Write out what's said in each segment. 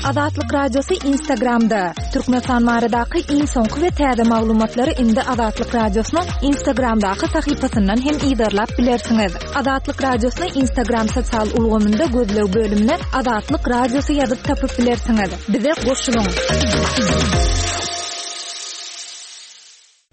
Azatlyk Radiosy Instagramda. Türkmenistan baradaky iň soňky we täze maglumatlary indi Azatlyk Radiosynyň Instagramdaky sahypasyndan hem yzarlap bilersiňiz. Azatlyk Radiosyny Instagram sosial ulgamynda gözleg bölümine Azatlyk Radiosy ýazyp tapyp bilersiňiz. Bize goşulyň!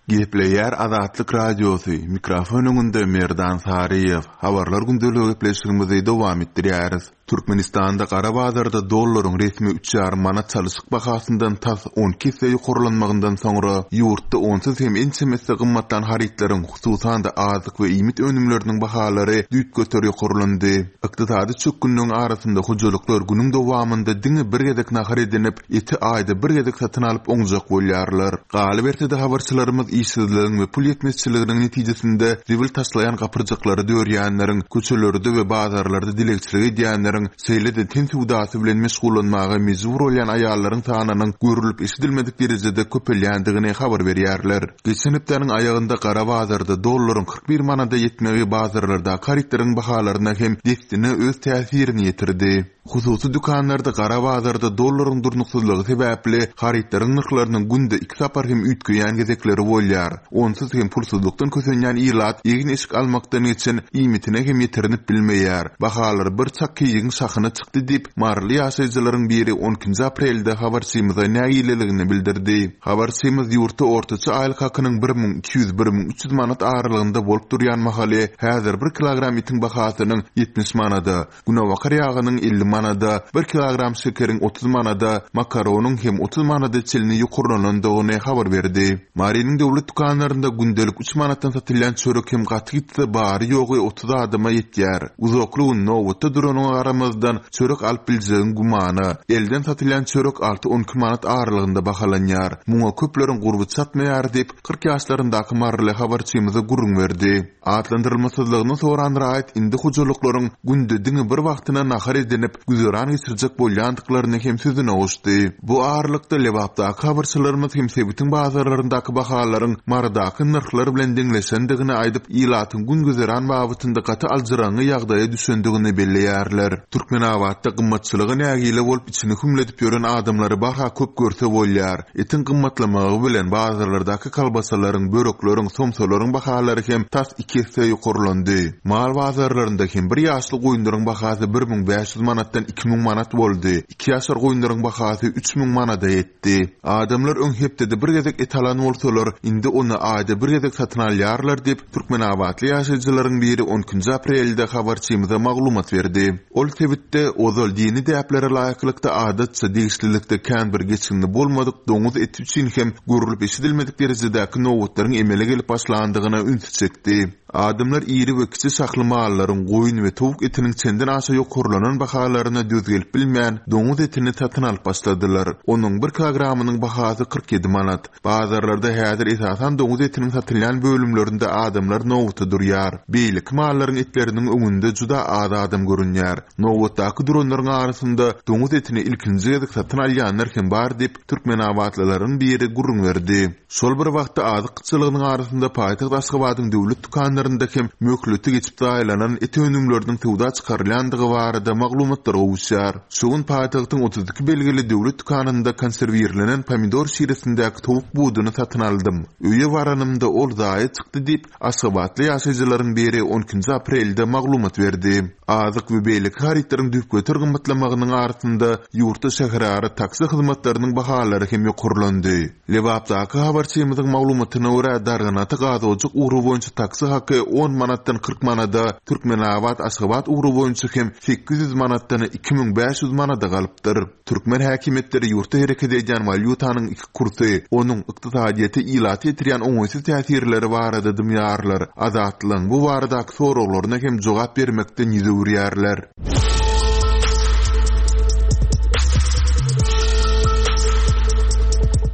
Gepleýär Azatlyk Radiosy, mikrofon öňünde Merdan Saryýew. Habarlar gündeligi gepleşigimizi dowam etdirýäris. Türkmenistanda gara bazarda dollaryň resmi üç ýarym manat çalyşyk bahasyndan tas 12 esse ýokarlanmagyndan soňra, ýurtda onsuz hem ençeme esse gymmatlan harytlaryň, hususan-da azyk we iýmit önümleriniň bahalary düýpgöter ýokarlandy. Ykdysady çökgünligiň arasynda hojalyklar günüň dowamynda diňe bir gezek nahar edinip, eti aýda bir gezek satyn alyp oňjak bolýarlar. Galyberse-de habarçylarymyz işsizligiň we pul ýetmezçiliginiň netijesinde zibil taşlaýan gapyrjaklary dörýänleriň, köçelerde we bazarlarda dilegçilik edýänleriň, şeýle-de ten söwdasy bilen meşgullanmaga mejbur bolýan aýallaryň sanynyň görlüp-eşidilmedik derejede köpelýändigini habar berýärler. Geçen hepdäniň aýagynda gara bazarda dollaryň 41 manada ýetmegi bazarlardaky harytlaryň bahalaryna hem dessine öz täsirini ýetirdi. Hususy dükanlarda gara bazarda dollaryň durnuksyzlygy sebäpli harytlaryň nyrhlarynyň günde iki sapar hem üýtgeýän gezekleri bolýar. Onsuz hem pulsuzlykdan kösenýän ilat egin-eşik almakdan geçen iýmitine hem ýetirinip bilmeýär. Bahalar bir çak keýigiň şahyna çykdy diýip, maryly ýaşaýjylaryň biri on ikinji aprelde habarçymyza nägileligini bildirdi. Habarçymyz ýurtda ortaça aýlyk hakynyň 1200, 1300 manat aralygynda bolup durýan mahaly häzir bir kilogram etiň bahasynyň 70 manada, Günebakar ýagynyň 50 manada, bir kilogram şekeriň 30 manada, makaronyň hem 30 manada çenli ýokarlanandygyny habar berdi. Marynyň döwlet dükanlarynda gündelik üç manatdan satylýan çörek hem gaty gitse bary-ýogy 30 adama ýetýär. Uzakly gün nobatda duranyňa garamazdan, çörek alyp biljegiň gümana. Elden satylýan çörek alty-on iki manat aralygynda bahalanýar. Muňa köpleriň gurby çatmaýar diýip, 40 ýaşlaryndaky maryly habarçymyza gürrüň berdi. Atlandyrylmasyzlygyny soran raýat indi hojalyklaryň günde diňe bir wagtyna nahar edinip, güzeran geçirjek bolýandyklaryny hem sözüne goşdy. Bu aralykda, Lebapdaky habarçylarymyz hem sebitiň bazarlaryndaky bahalaryň Marydaky nyrhlar bilen deňleşendigini aýdyp, ilatyň gün-güzeran babatynda gaty aljyraňňy ýagdaýa düşendigini belleýärler. Türkmenabatda gymmatçylyga nägile bolup içini hümledip ýören adamlary barha köp görse bolýar. Etiň gymmatlamagy bilen bazarlardaky kolbasalaryň, börekleriň, somsalaryň bahalary hem tas iki esse ýokarlandy. Mal bazarlarynda hem bir ýaşly goýunlaryň bahasy 1500 manatdan 2000 manat boldy, iki ýaşar goýunlaryň bahasy 3000 manada ýetdi. Adamlar öň hepdede bir gezek et alan bolsalar, indi ony aýda bir gezek satyn alýarlar diýip, türkmenabatly ýaşaýjylaryň biri on ikinji aprelde habarçymyza maglumat berdi. Ol sebitde ozal dini däplere laýyklykda adatça degişlilikde kän bir geçginli bolmadyk doňuz eti üçin hem görlüp-eşidilmedik derejedäki nobatlaryň emele gelip başlandygyna ünsi çekdi. Adamlar iri we kiçi şahly mallaryň, goýun we towuk etiniň çenden aşa ýokarlanan bahalaryna döz gelip bilmän, doňuz etini satyn alyp başladylar. Onuň bir kilogramynyň bahasy 47 manat. Bazarlarda häzir esasan doňuz etiniň satylýan bölümlerinde adamlar nobata durýar. Beýleki mallaryň etleriniň öňünde juda az adam görünýär. Nobatdaky duranlaryň arasynda doňuz etini ilkinji gezek satyn alýanlar hem bar diýip, türkmenabatlylaryň biri gürrüň berdi. Şol bir wagtda azyk gytçylygynyň arasynda paýtagt Aşgabadyň döwlet dükanlarynda hem möhleti geçip zaýalanan et önümleriniň söwda çykarylýandygy barada maglumatlar gowuşýar. Şu gün paýtagtyň 32 belgili döwlet dükanynda konserwirlenen pomidor şiresindäki towuk buduny satyn aldym. Öýe baranymda ol zaýa çykdy diýip, aşgabatly ýaşaýjylaryň biri on ikinji aprelde maglumat berdi. Azyk we beýleki harytlaryň düýpgöter gymmatlamagynyň arasynda ýurtda şäherara taksi hyzmatlarynyň bahalary hem ýokarlandy. Lebapdaky habarçymyzyň maglumatyna görä, Darganata Gazojak ugry boýunça taksi haky on manatdan 40 manada, Türkmenabat, Aşgabat ugry boýunça hem 800 manatdan 2500 manada galypdyr. Türkmen häkimiýetleri ýurtda hereket edýän walýutanyň iki kursy, onuň ykdysadyýete, ilata ýetirýän oňaýsyz täsirleri barada dymýarlar, Azatlygyň bu baradaky soraglaryna hem jogap bermekden ýüz öwürýärler.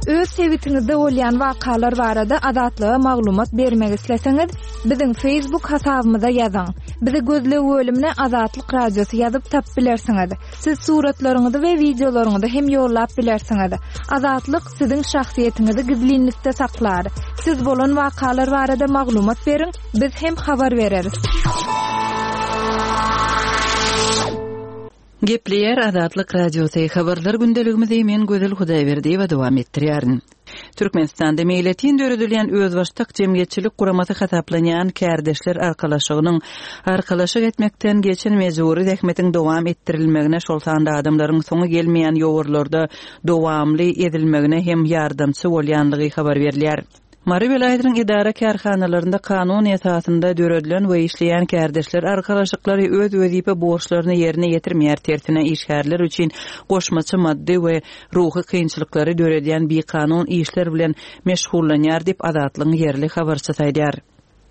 Öz sebitiňizde bolýan wakalar barada Azatlyga maglumat bermek isleseňiz, biziň Facebook hasabymyza ýazyň. Bizi gözleg bölümine Azatlyk Radiosy ýazyp tapyp bilersiňiz. Siz suratlaryňyzy we wideolaryňyzy hem ýollap bilersiňiz. Azatlyk siziň şahsyýetiňizi gizlinlikde saklar. Siz bolan wakalar barada maglumat beriň, biz hem habar bereris. Gepleýär Azatlyk Radiosy, Habarlar gündeligimizi men Gözel Hudaýberdiýewa dowam etdirýärin. Türkmenistanda meýletin döredilýän özbaşdak jemgyýetçilik guramasy hasaplanýan Kärdeşler arkalaşygynyň arkalaşyk etmekden geçen mejbury zähmetiň dowam etdirilmegine, şol sanda adamlaryň soňy gelmeýän ýowarlarda dowamly ezilmegine hem ýardamçy bolýanlygy habar berilýär. Mary welaýatynyň edara-kärhanalarynda kanun esasynda döredilen we işleýän kärdeşler arkalaşyklary öz wezipe borçlaryny ýerine ýetirmeýär, tersine işgärler üçin goşmaça maddy we ruhy kynçylyklary döredýän bikanun işler bilen meşgullanýar diýip, Azatlygyň ýerli habarçysy aýdýar.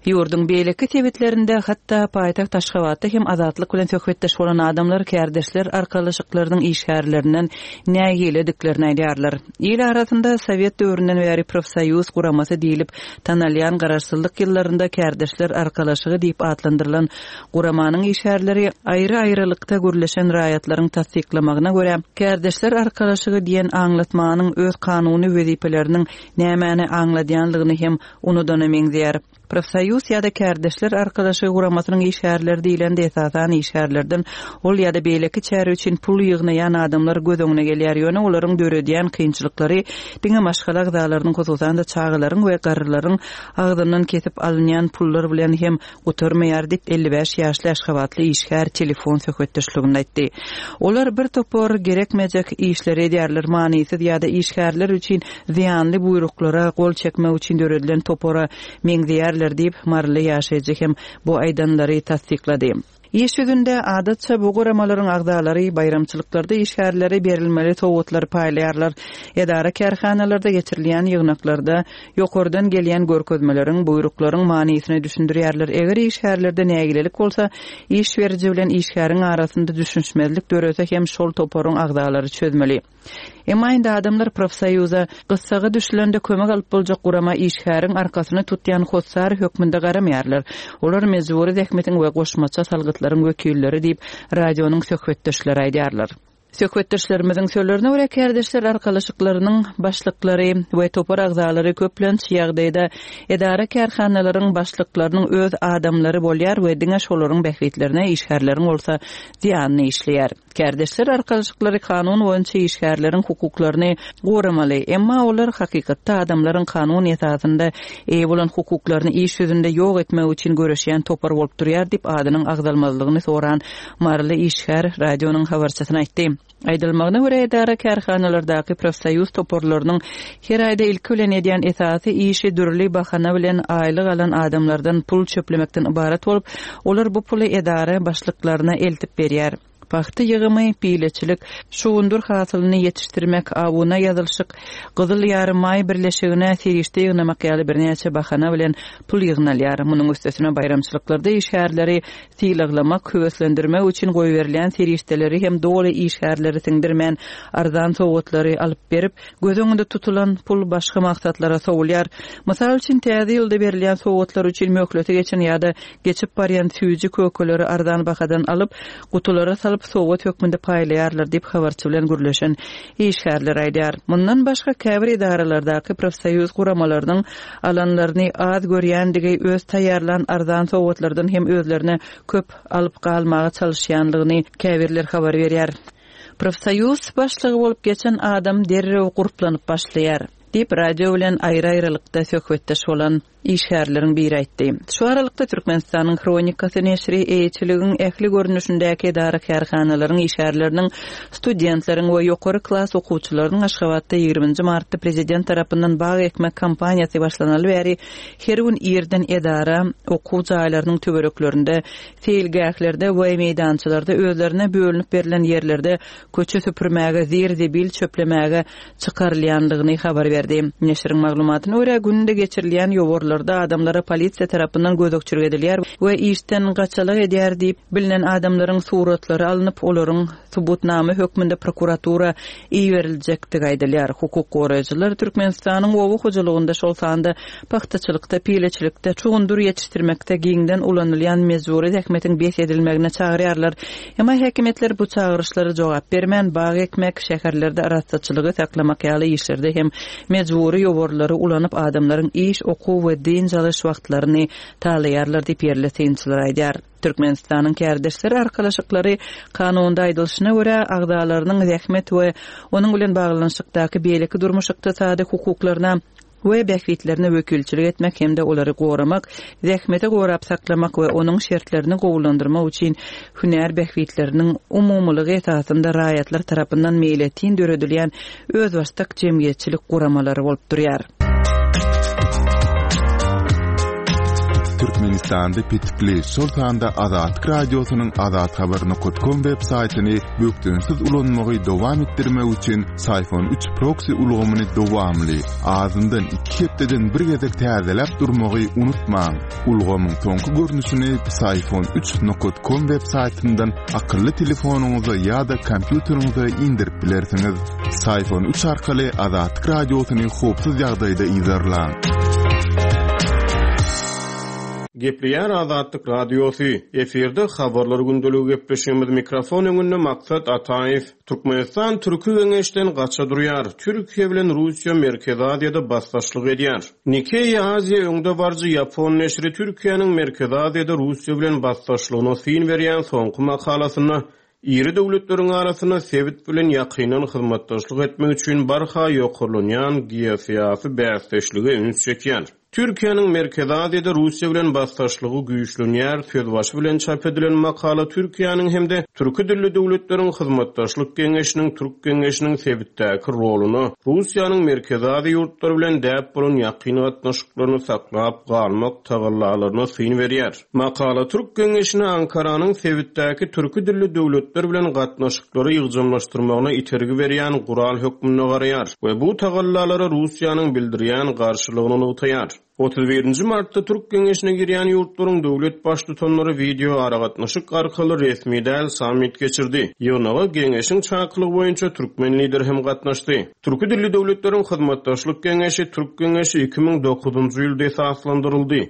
Ýurduň beýleki sebitlerinde, hatda paýtagt Aşgabatda hem Azatlyk bilen söhbetdeş bolan adamlar kärdeşler arkalaşyklarynyň işgärlerinden nägilediklerini aýdýarlar. Il arasynda sowet döwründen bäri profsoýuz guramasy diýlip tanalýan garaşsyzlyk ýyllarynda kärdeşler arkalaşygy diýip atlandyrylan guramanyň işgärleri aýry-aýrylykda gürleşen raýatlaryň tassyklamagyna görä, kärdeşler arkalaşygy diýen aňlatmanyň öz kanuny wezipeleriniň nämäni aňladýanlygyny hem unudana meňzeýär. Profsoýuz ýa-da kärdeşler arkalaşygy guramasynyň işgärleri diýlende esasan işgärlerden ol ýa-da beýleki çäre üçin pul ýygnaýan adamlar göz öňüne gelýär, ýöne olaryň döredýän kynçylyklary diňe maşgala agzalarynyň hususan-da çagalaryň we garrylaryň agzyndan kesip alynýan pullar bilen hem gutarmaýar diýip, 55 ýaşly aşgabatly işgär telefon söhbetdeşliginde aýtdy. Olar bir topar gerekmejek işleri edýärler, manysyz ýa-da işgärler üçin zyýanly buýruklara gol çekmek üçin döredilen topara meňzeýärler diýip, maryly ýaşaýjy hem bu aýdanlary tassyklady. Iş ýüzünde, adatça, bu guramalaryň agzalary baýramçylyklarda işgärlere berilmeli sowgatlary paýlaýarlar. Edara-kärhanalarda geçirilýän ýygnaklarda ýokardan gelýän görkezmeleriň, buýruklaryň manysyny düşündirýärler. Eger işgärlerde nägilelik bolsa, iş beriji bilen işgäriň arasynda düşünişmezlik dörese hem şol toparyň agzalary çözmeli. Emma indi adamlar profsoýuza, gyssaga düşülende kömek alyp boljak gurama işgäriň arkasyny tutýan hossar hökmünde garamaýarlar. Olar mejbury zähmetiň we goşmaça salgytlaryň wekilleri diýip, radionyň söhbetdeşleri aýdýarlar. Söhbetdeşlerimiziň sözlerine görä, kärdeşler arkalaşyklarynyň başlyklary we topar agzalary köplenç ýagdaýda edara-kärhanalaryň başlyklarynyň öz adamlary bolýar we diňe şolaryň bähbitlerine, işgärleriň bolsa zyýanyna işleýär. Kärdeşler arkalaşyklary kanun boýunça işgärleriň hukuklaryny goramaly, emma olar hakykatda adamlaryň kanun esasynda eýe bolan hukuklaryny iş ýüzünde ýok etmek üçin göreşýän topar bolup durýar diýip, adynyň agzalmazlygyny soran maryly işgär radionyň habarçysyna aýtdy. Aýdylmagyna görä, edara-kärhanalardaky profsoýuz toparlarynyň her aýda ilki bilen edýän esasy işi dürli bahana bilen aýlyk alan adamlardan pul çöplemekden ybarat bolup, olar bu puly edara başlyklaryna eltip berýär. Pagta ýygymy, pileçilik, şugundyr hasylyny ýetişdirmek, abuna ýazylyşyk, Gyzyl Ýarymaý birleşigine serişde ýygnamak ýaly birnäçe bahana bilen pul ýygnalýar. Munuň üstesine baýramçylyklarda işgärleri sylaglamak, höweslendirmek üçin goýberilýän serişdeleri hem doly işgärlere siňdirmän, arzan sowgatlary alyp berip, göz öňünde tutulan pul başga maksatlara sowulýar. Mysal üçin, Täze ýylda berilýän sowgatlar üçin möhleti geçen ýa-da geçip barýan süýji-kökeleri arzan bahadan alyp, gutulara salyp, sowgat hökmünde paýlaýarlar diýip, habarçy bilen gürleşen işgärler aýdýar. Mundan başga, käbir edaralardaky profsoýuz guramalarynyň alanlaryny az görýändigi, öz taýýarlan arzan sowgatlardan hem özlerine köp alyp galmaga çalyşýanlygyny käbirler habar berýär. Profsoýuz başlygy bolup geçen adam derrew gurplanyp başlaýar, diýip, radio bilen aýry-aýrylykda söhbetdeş bolan işgärleriň biri aýtdy. Şu aralykda, Türkmenistanyň Hronikasy neşiri eýeçiligiň ähli görnüşindäki edara-kärhanalaryň işgärleriniň, studentleriň we ýokary klas okuwçylarynyň Aşgabatda ýigriminji martda prezident tarapyndan bag ekmek kampaniýasy başlanaly bäri her gün irden edara, okuw jaýlarynyň töwereklerinde, seýilgählerde we meýdançalarda özlerine bölünip berlen ýerlerde köçe süpürmäge, zir-zibil çöplemäge çykarylýandygyny habar berdi. Neşiriň maglumatyna görä, günde geçirilýän ýowarlarda adamlara polisiýa tarapyndan gözegçilik edilýär we işden gaçalak edýär diýip bilnen adamlaryň suratlary alnyp, olaryň subutnama hökmünde prokuratura iberiljekdigi aýdylýar. Hukuk goraýjylar Türkmenistanyň oba hojalygynda, şol sanda pagtaçylykda, pileçilikde, şugundyr ýetişdirmekde giňden ulanylýan mejbury zähmetiň bes edilmegine çagyrýarlar. Emma häkimiýetler bu çagyryşlara jogap bermän, bag ekmek, şäherlerde arassaçylygy saklamak ýaly işlerde hem mejbury ýowarlary ulanyp, adamlaryň iş, okuw we. dynç alyş wagtlaryny talaýarlar diýip, ýerli synçylar aýdýar. Türkmenistanyň kärdeşler arkalaşyklary kanunda aýdylyşyna görä, agzalarynyň zähmet we onuň bilen baglanyşykdaky beýleki durmuş-ykdysady hukuklaryna we bähbitlerine wekilçilik etmek hem-de olary goramak, zähmeti gorap saklamak we onuň şertlerini gowulandyrmak üçin hünär bähbitleriniň umumylygy esasynda raýatlar tarapyndan meýletin döredilýän özbaşdak jemgyýetçilik guramalary bolup durýar. Türkmenistanda petikli, şol sanda Azatlyk Radiosynyň azathabar nokat kom web saýtyny bökdençsiz ulanmagy dowam etdirmek üçin Syfon üç proksi ulgamyny dowamly, azyndan iki hepdeden bir gezek täzeläp durmagy unutmaň. Ulgamyň soňky görnüşini Psiphon üç nokat kom web saýtyndan akylly telefonyňyza ýa-da kompýuteriňize indirip bilersiňiz. Psiphon üç arkaly Azatlyk Radiosyny howpsuz ýagdaýda yzarlaň. Gepleýär Azatlyk Radiosy, efirde Habarlar gündeligi gepleşigimiz mikrofon öňünde Maksat Ataýew. Türkmenistan Türki Geňeşden gaça durýar, Türkiýe bilen Russiýa Merkezi Aziýada basdaşlyk edýär. Nikkei Aziýa öňdebaryjy ýapon neşiri Türkiýäniň Merkezi Aziýada Russiýa bilen basdaşlygyna syn berýän soňky makalasynda iri döwletleriň arasynda sebit bilen ýakyndan hyzmatdaşlyk etmek üçin barha ýokarlanýan geosyýasy bäsdeşlige üns çekýär. Türkiýäniň Merkezi Aziýada Russiýa bilen basdaşlygy güýçlenýär sözbaşy bilen çap edilen makala Türkiýäniň hem-de türki dilli döwletleriň hyzmatdaşlyk geňeşiniň Türk geňeşiniň sebitdäki roluna, Russiýanyň Merkezi Aziýa ýurtlary bilen däp bolan ýakyn gatnaşyklaryny saklap galmak tagallalaryna syn berýär. Makala Türk geňeşine Ankaranyň sebitdäki türki dilli döwletler bilen gatnaşyklary ýygjamlaşdyrmagyna itergi berýän gural hökmünde garaýar we bu tagallalara Russiýanyň bildirýän garşylygyny nygtaýar. 31 nji martda Türk geňeşine girýän ýurtlaryň döwlet Baştutanlary wideoaragatnaşyk arkaly resmi däl sammit geçirdi. Ýygnaga geňeşiň çakylygy boýunça türkmen Lideri hem gatnaşdy. Türki dilli döwletleriň hyzmatdaşlyk geňeşi Türk geňeşi 2009-njy ýylda esaslandyryldy.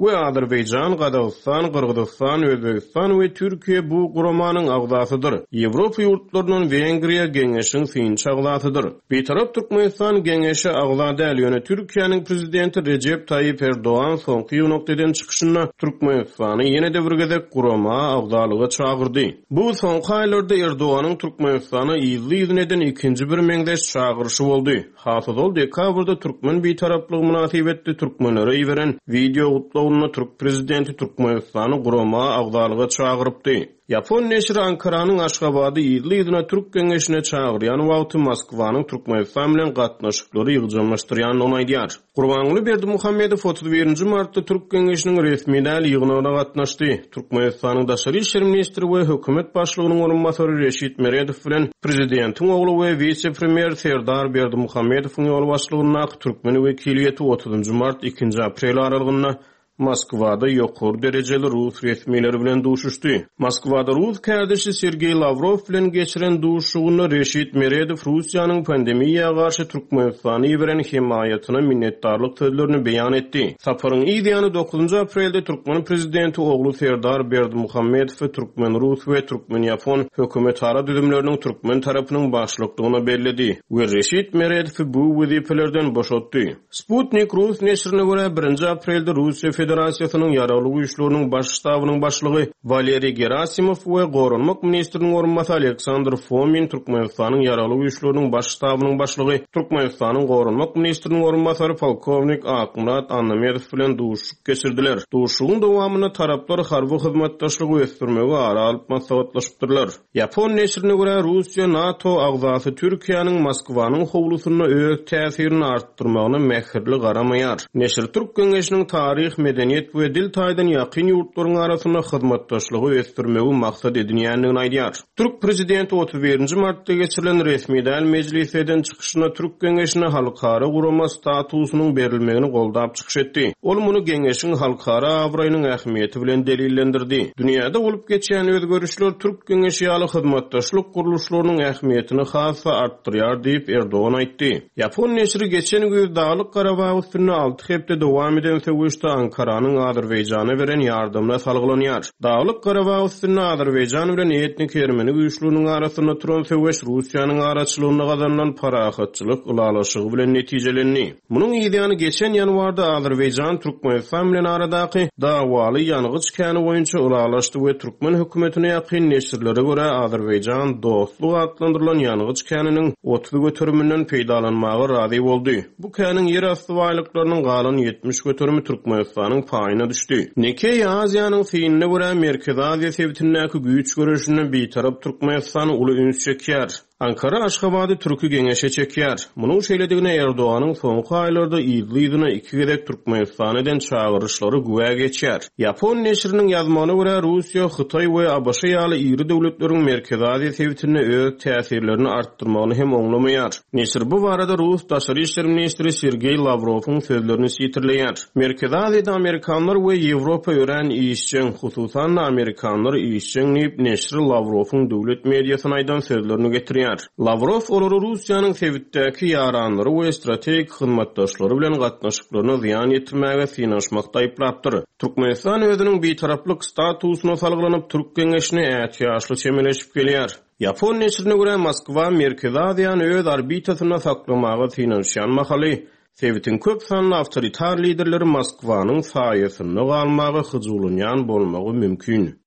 We Azerbaýjan, Gazagystan, Gyrgyzystan, Özbegistan we Türkiýe bu guramanyň agzasydyr. Ýewropa ýurtlaryndan Wengriýa Geňeşiň synçy agzasydyr. Bitarap Türkmenistan Geňeşe agza däl, ýöne Türkiýäniň Prezidenti Rejep Taýyp Erdogan soňky ýygnakda eden çykyşynda Türkmenistany ýene-de bir gezek gurama agzalyga çagyrdy. Bu soňky aýlarda Erdoganyň Türkmenistana yzly-yzyna eden ikinji bir meňzeş çagyryşy boldy. Has ozal dekabrda türkmen bitaraplygy mynasybetli türkmenlere iberen wideo gutlagynda türk prezidenti Türkmenistany gurama agzalyga çagyrypdy. Ýapon neşiri Ankaranyň Aşgabady yzly-yzyna Türk geňeşine çagyrýan wagty Moskwanyň Türkmenistan bilen gatnaşyklary ýygjamlaşdyrýandygyny aýdýar. Gurbanguly Berdimuhamedow 31 nji martda Türk geňeşiniň resmi däl ýygnagyna gatnaşdy. Türkmenistanyň daşary işler ministri we hökümet başlygynyň orunbasary Reşit Meredow bilen prezidentiň ogly we wise-premýer Serdar Berdimuhamedowyň ýolbaşçylygyndaky türkmen wekiliýeti otuzynjy mart, ikinji aprel aralygynda Moskwada ýokary derejeli rus resmileri bilen duşuşdy. Moskwada rus kärdeşi Sergeý Lawrow bilen geçiren duşuşygynda Reşit Meredow Russiýanyň pandemiýa garşy Türkmenistana iberen hemaýatyna minnetdarlyk sözlerini beýan etdi. Saparyň yz ýany dokuzynjy aprelde türkmen prezidenti ogly Serdar Berdimuhamedowy türkmen-rus we türkmen-ýapon hökümetara düzümleriniň türkmen tarapynyň başlyklygyna belledi we Reşit Meredowy bu wezipelerden boşatdy. Sputnik rus neşirine görä, birinji aprelde Russiýa Federasiýasynyň Ýaragly Güýçleriniň Baş ştabynyň başlygy Waleriý Gerasimow we goranmak ministriniň orunbasary Aleksandr Fomin Türkmenistanyň Ýaragly Güýçleriniň Baş ştabynyň başlygy, Türkmenistanyň goranmak ministriniň orunbasary polkownik Akmyrat Annamedow bilen duşuşyk geçirdiler. Duşuşygyň dowamynda taraplar harby hyzmatdaşlygy ösdürmegi ara alyp maslahatlaşypdyrlar. Ýapon neşirine görä, Russiýa NATO agzasy Türkiýäniň Moskwanyň howlusynda öz täsirini artdyrmagyna mähirli garamaýar. Neşir Türk geňeşiniň taryh, medeniýet we dil taýdan ýakyn ýurtlaryň arasynda hyzmatdaşlygy ösdürmegi maksat edinýändigini aýdýar. Türk prezidenti 31 nji martda geçirilen resmi däl mejlisde eden çykyşynda Türk geňeşine halkara gurama statusynyň berilmegini goldap çykyş etdi. Ol muny geňeşiň halkara abraýynyň ähmiýeti bilen delillendirdi. Dünýäde bolup geçýän özgerişler Türk geňeşi ýaly hyzmatdaşlyk gurluşlarynyň ähmiýetini has-da artdyrýar diýip, Erdogan aýtdy. Ýapon neşiri geçen güýz Daglyk Garabag üstünde alty hepde dowam eden söweşde Ankara. Ankaranyň Azerbaýjana beren ýardamyna salgylanýar. Daglyk Garabag üstünde Azerbaýjan bilen etniki ermeni güýçleriniň arasynda turan söweş Russiýanyň araçylygynda gazanylan parahatçylyk ylalaşygy bilen netijelendi. Munuň yzýany geçen ýanwarda Azerbaýjan Türkmenistan bilen aradaky dawaly ýangyç käni boýunça ylalaşdy we türkmen hökümetine ýakyn neşirlere görä Azerbaýjan Dostluk atlandyrylan ýangyç käniniň 30 göteriminden peýdalanmaga razy boldy. Bu käniň ýerasty baýlyklarynyň galan 70 göterimi Türkmenistanyň paýyna düşdi. Nikkei Aziýanyň synyna görä Merkezi Aziýa sebitindäki güýç göreşinde Bitarap Türkmenistan uly üns çekýär. Ankara Aşgabady Türki Geňeşe çekýär. Munuň şeýledigine Erdoganyň soňky aýlarda yzly-yzyna iki gezek Türkmenistana eden çagyryşlary güwä geçýär. Ýapon neşiriniň ýazmagyna görä, Russiýa, Hytaý we ABŞ ýaly iri döwletleriň Merkezi Aziýa sebitinde öz täsirlerini artdyrmagyny hem oňlamaýar. Neşir bu barada rus daşary işler ministri Sergeý Lawrowyň sözlerini sitirleýär. Merkezi Aziýada amerikanlar we Ýewropa örän işjeň, hususan-da, amerikanlar işjeň diýip, neşir Lawrowyň döwlet mediasyna aýdan sözlerini getirýär. Lawrow olary Russiýanyň sebitdäki ýaranlary we strategik hyzmatdaşlary bilen gatnaşyklaryna zyýan ýetirmäge synanyşmakda aýyplapdyr. Türkmenistan özüniň bitaraplyk statusyna salgylanyp, Türk geňeşine ätiýaçly çemeleşip gelýär. Ýapon neşirine görä, Moskwa Merkezi Aziýany öz orbitasynda saklamaga synanyşýan mahaly, Sebitiň köp sanly awtoritar liderleri Moskwanyň saýasynda galmaga hyjuwlanýan bolmagy mümkin.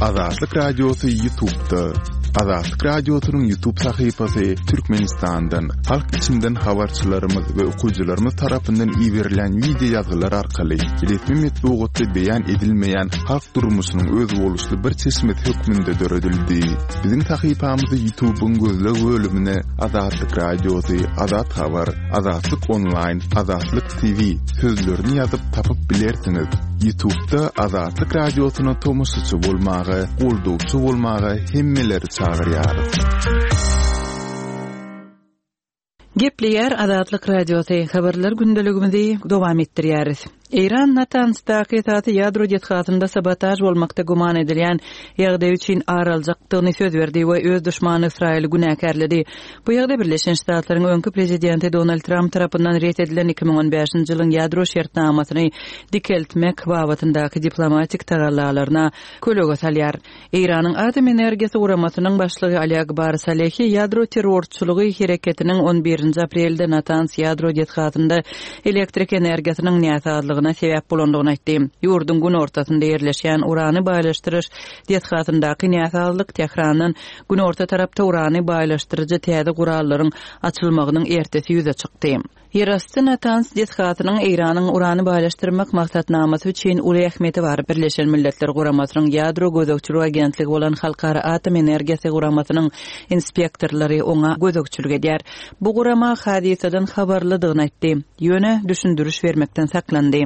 Azatlyk Radiosy Ýutubda. Azatlyk Radiosynyň Ýutub sahypasy Türkmenistandan, halk içinden habarçylarymyz we okyjylarymyz tarapyndan iberilýän wideo ýazgylar arkaly resmi metbugatda beýan edilmeýän halk durmuşynyň özboluşly bir çeşmesi hökmünde döredildi. Biziň sahypamyzy Ýutubyň gözleg bölümine Azatlyk Radiosy, Azat Habar, Azatlyk Onlaýn, Azatlyk TV sözlerini ýazyp tapyp bilersiňiz. Ýutubda Azatlyk Radiosyna tomaşaçy bolmaga, goldawçy bolmaga hemmeleri çagyrýarys. Gepleýär Azatlyk Radiosy, Habarlar gündeligimizi dowam etdirýäris. Eýran Natanzdaky esasy ýadro desgasynda sabotaž bolmakda güman edilýän ýagdaý üçin ar aljakdygyny söz berdi we öz duşmany Ysraýyly günäkärledi. Bu ýagdaý Birleşen Ştatlaryň öňki prezidenti Donald Tramp tarapyndan ret edilen 2015-nji ýylyň ýadro şertnamasyny dikeltmek babatyndaky diplomatik tagallalaryna kölege salýar. Eýranyň Atom energiýasy guramasynyň başlygy Ali Akbar Salehi ýadro terrorçylygy hereketiniň on birinji aprelde Natanz ýadro desgasynda elektrik energiýasynyň näsazlygyna sebäp bolandygyny aýtdy. Ýurduň günortasynda ýerleşýän urany baýlaşdyryş desgasyndaky näsazlyk Tährandan günorta tarapda urany baýlaşdyryjy täze gurallaryň açylmagynyň ertesi ýüze çykdy. Ýerasty Natanz desgasynyň Eýranyň urany baýlaşdyrmak maksatnamasy üçin uly ähmiýeti bar. Birleşen Milletler Guramasynyň Ýadro gözegçilik agentligi bolan Halkara atom energiýasy guramasynyň inspektorlary oňa gözegçilik edýär. Bu gurama hadysadan habarlydygyny aýtdy, ýöne düşündiriş bermekden saklandy.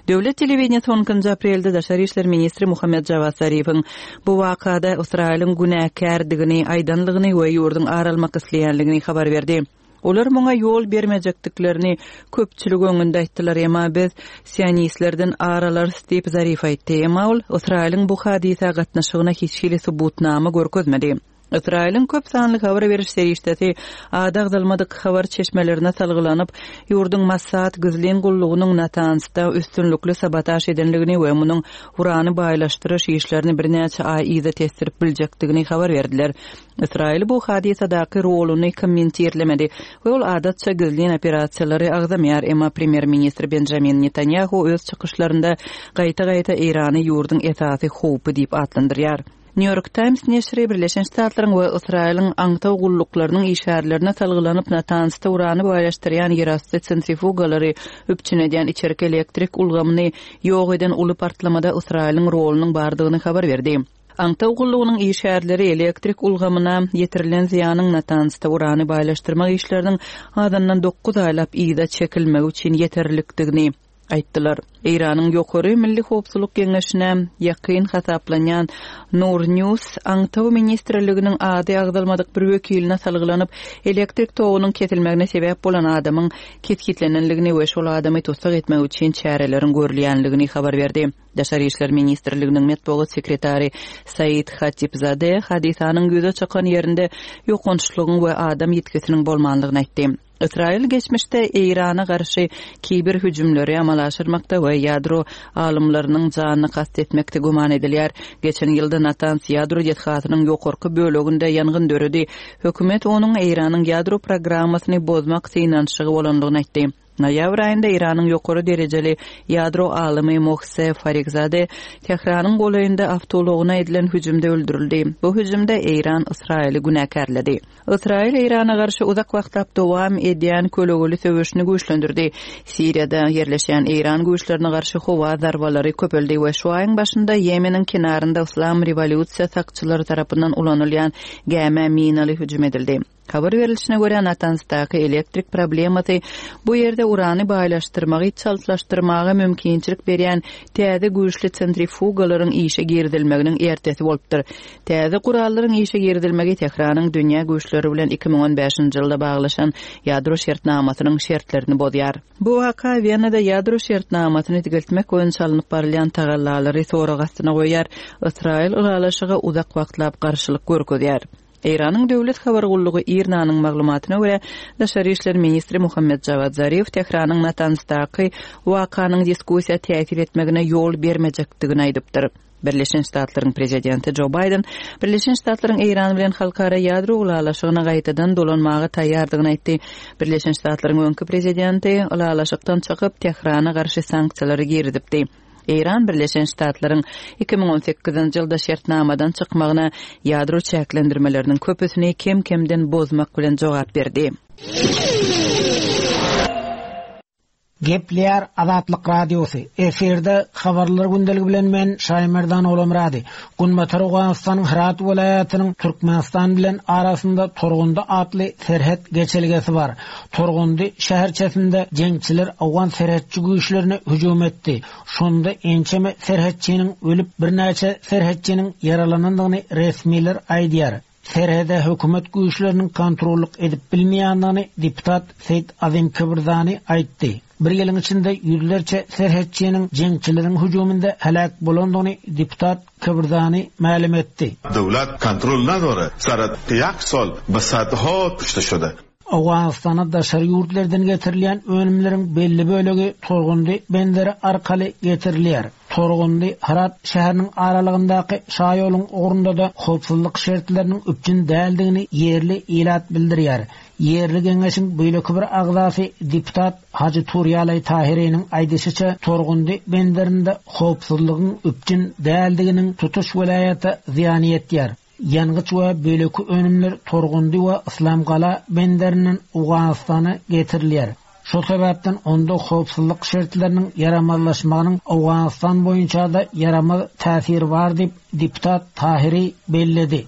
Döwlet telewideniýesi on ikinji aprelde daşary işler ministri Muhammed Jawad Zarifiň bu wakada Ysraýylyň günäkärdigini aýdanlygyny we ýurduň ar almak isleýänligini habar berdi. Olar muňa ýol bermejekdiklerini köpçülik öňünde aýtdylar, emma biz sionistlerden ar alarys diýip, Zarif aýtdy. Emma ol Ysraýylyň bu hadysa gatnaşygyna hiç hili subutnama görkezmedi. Ysraýylyň köp sanly habar beriş serişdesi ady agzalmadyk habar çeşmelerine salgylanyp, ýurduň Mossad gizlin gullugynyň Natanzda üstünlikli sabotaž edendigini we munuň urany baýlaşdyryş işlerini birnäçe aý yza tesdirip biljekdigini habar berdiler. Ysraýyl bu hadysadaky roluny kommentirlemedi we ol adatça gizlin operasiýalary agzamaýar, emma premýer-ministr Benjamin Netanýahu öz çykyşlarynda gaýta-gaýta Eýrany ýurduň esasy howpy diýip atlandyrýar. Nýu-Ýork Taýms neşiri Birleşen Ştatlaryň we Ysraýylyň aňtaw gulluklarynyň işgärlerine salgylanyp, Natanzda urany baýlaşdyrýan ýerasty sentrifugalary üpjün edýän içerki elektrik ulgamyny ýok eden uly partlamada Ysraýylyň rolunyň bardygyny habar berdi. Aňtaw gullugynyň işgärleri elektrik ulgamyna ýetirilen zyýanyň Natanzda urany baýlaşdyrmak işleriniň azyndan dokuz aýlap yza çekilmegi üçin ýeterlikdigini aýtdylar. Eýranyň Ýokary Milli howpsuzlyk geňeşine ýakyn hasaplanýan Nour News Aňtaw ministrliginiň ady agzalmadyk bir wekiline salgylanyp, elektrik togunyň kesilmegine sebäp bolan adamyň kesgitlenendigini we şol adamy tussag etmek üçin çäreleriň görülýändigini habar berdi. Daşary işler ministrliginiň metbugat sekretary Said Hatipzade hadysanyň ýüze çykan ýerinde ýokançlygyň we adam ýitgisiniň bolmandygyny aýtdy. Ysraýyl geçmişde Eýrana garşy kiber hüjümleri amala aşyrmakda we ýadro alymlarynyň janyna kast etmekde güman edilýär. Geçen ýylda Natanz ýadro desgasynyň ýokarky böleginde ýangyn döredi. Hökümet onuň Eýranyň ýadro programmasyny bozmak synanyşygy bolandygyny aýtdy. Noýabr aýynda Eýranyň ýokary derejeli ýadro alymy Mohse Farikzade Tähranyň golaýynda awtoulagyna edilen hüjümde öldürildi. Bu hüjümde Eýran Ysraýyly günäkärledi. Ysraýyl Eýrana garşy uzak wagtlap dowam edýän kölegeli söweşini güýçlendirdi. Siriýada ýerleşýän Eýran güýçlerine garşy howa zarbalary köpeldi we şu aýyň başynda Ýemeniň kenarynda Yslam rewolýusiýa sakçylary tarapyndan ulanylýan gämä minaly hüjüm edildi. Habar berlişine görä, Natanzdaky elektrik problemasy bu ýerde urany baýlaşdyrmagy çaltlaşdyrmaga mümkinçilik berýän täze güýçli sentrifugalaryň işe girizilmeginiň ertesi bolupdyr. Täze gurallaryň işe girizilmegi Tähranyň dünýä güýçleri bilen 2015-nji ýylda baglaşan ýadro şertnamasynyň şertlerini bozýar. Bu waka Wenada ýadro şertnamasyny dikeltmek boýunça alnyp barylýan tagallalary sorag astyna goýýar, Ysraýyl ylalaşyga uzak wagtlap garşylyk görkezýär. Eýranyň döwlet habar gullugy IRNA-nyň maglumatyna görä, daşary işler ministri Muhammed Jawad Zarif Tähranyň Natanzdaky wakanyň diskussiýa täsir etmegine ýol bermejekdigini aýdypdyr. Birleşen Ştatlaryň prezidenti Jo Baýden Birleşen Ştatlaryň Eýran bilen halkara ýadro ylalaşygyna gaýtadan dolanmaga taýýardygyny aýtdy. Birleşen Ştatlaryň öňki prezidenti ylalaşykdan çykyp, Tährana garşy sanksiýalary girizipdi. Eýran Birleşen Ştatlaryň 2018-nji ýylda şertnamadan çykmagyna ýadro çäklendirmeleriniň köpüsini kem-kemden bozmak bilen jogap berdi. Gepleýär Azatlyk Radiosy, Efirde Habarlar gündeligi bilen men Şaýmerdan Ogulmyrady. Günbatar Owganystanyň Hyrat welaýatynyň Türkmenistan bilen arasynda Torgundy atly serhet geçelgesi bar. Torgundy şäherçesinde jeňçiler owgan serhetçi güýçlerine hüjüm etdi. Şonda ençeme serhetçiniň ölüp, birnäçe serhetçiniň ýaralanandygyny resmiler aýdýar. Serhede hökümet güýçleriniň kontrollyk edip bilmeýändigini deputat Seýit Azim Kibirzani aýtdy. Bir ýylyň içinde ýüzlerçe serhetçiniň jeňçileriň hüjüminde heläk bolandygyny deputat Kibirzani mälim etdi. Döwlet kontrol nadore, sarat ýak sol be sadho kuşte şode. Owganystana daşary ýurtlardan getirilýän önümleriň belli bölegi Torgundy benderi arkaly getirilýär. Torgundy, Hyrat şäheriniň aralygyndaky şaýoluň ugrunda-da howpsuzlyk şertleriniň üpjün däldigini ýerli ilat bildirýär. Ýerli geňeşiň beýleki bir agzasy deputat Hajy Turýalaý Tahiriniň aýdyşyça, Torgundy benderinde howpsuzlygyň üpjün däldiginiň tutuş welaýata zyýany ýetýär. Ýangyç we beýleki önümler Torgundy we Yslamgala benderinden Owganystana getirilýär. Şol sebäpden onda howpsuzlyk şertleriniň ýaramazlaşmagynyň Owganystan boýunça-da ýaramaz täsiri bar diýip, deputat Tahiri belledi.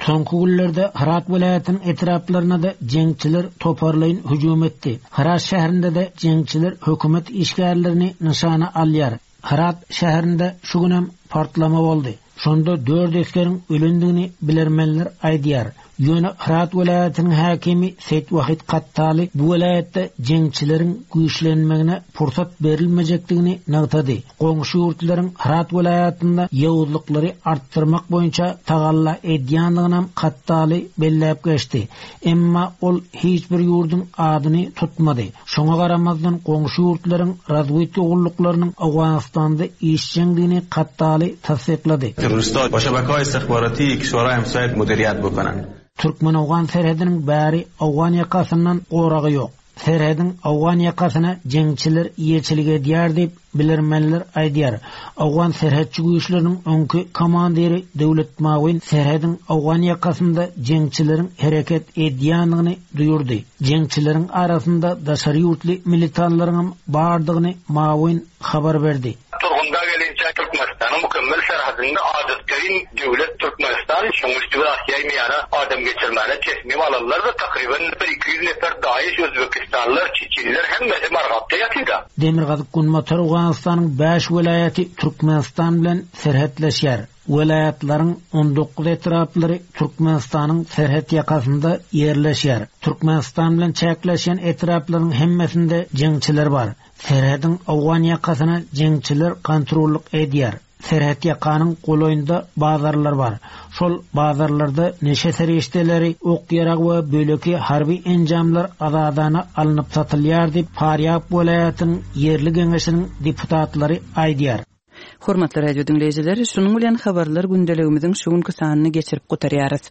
Soňky günlerde Hyrat welaýatynyň etraplaryna-da jeňçiler toparlaýyn hüjüm etdi. Hyrat şäherinde-de jeňçiler hökümet işgärlerini nyşana alýar. Hyrat şäherinde şu günem partlama boldy. Şonda dört esgeriň ölendigini bilermenler aýdýar. Ýöne Hyrat welaýatynyň häkimi Seýit Wahid Kattaly bu welaýatda jeňçileriň güýçlenmegine pursat berilmejekdigini nygtady. Goňşy ýurtlaryň Hyrat welaýatynda ýowuzlyklary artdyrmak boýunça tagalla edýändiginem Kattaly belläp geçdi. Emma ol hiç bir ýurduň adyny tutmady. Şoňa garamazdan, goňşy ýurtlaryň razwedka gulluklarynyň Owganystanda işjeňdigini Kattaly tassyklady. Terroristler ba şebeke-haye istihbarati kişwerhaye hemsaye mudiriyat bokonen. Türkmen-owgan serhediniň bäri owgan ýakasyndan goragy ýok. Serhediň owgan ýakasyna jeňçiler eýeçilik edýär diýip, bilermenler aýdýar. Owgan serhetçi güýçleriniň öňki komandiri Döwlet Mawin serhediň owgan ýakasynda jeňçileriň hereket edýändigini duýurdy. Jeňçileriň arasynda daşary ýurtly militanlaryňam bardygyny Mawin habar berdi. Turgunda gelinçä Türkmenistanyň mükemmel serhedinde adatgaýyn döwlet Türkmenistan şoň üsti bilen asýaý-meýana adam geçirmäne tesmim alanlar-da takryban bir 200 nefer daeş özbekistanlylar, çeçenler hemmesi Margapda ýatyda. Demirgazyk-günbatar Owganystanyň bäş welaýaty Türkmenistan bilen serhetleşýär. Welaýatlaryň 19 etraplary Türkmenistanyň serhet ýakasynda ýerleşýär. Türkmenistan bilen çäkleşýän etraplaryň hemmesinde jeňçiler bar. Serhediň owgan ýakasyna jeňçiler kontrollyk edýär. Serhetýakanyň golaýynda bazarlar bar. Şol bazarlarda neşe serişdeleri, ok-ýarag we beýleki harby enjamlar azadana alnyp satylýar diýip, Farýab welaýatynyň ýerli geňeşiniň deputatlary aýdýar. Hormatly radio diňleýjiler, şunuň bilen habarlar gündeligimiziň şu günki sanyny geçirip gutarýarys.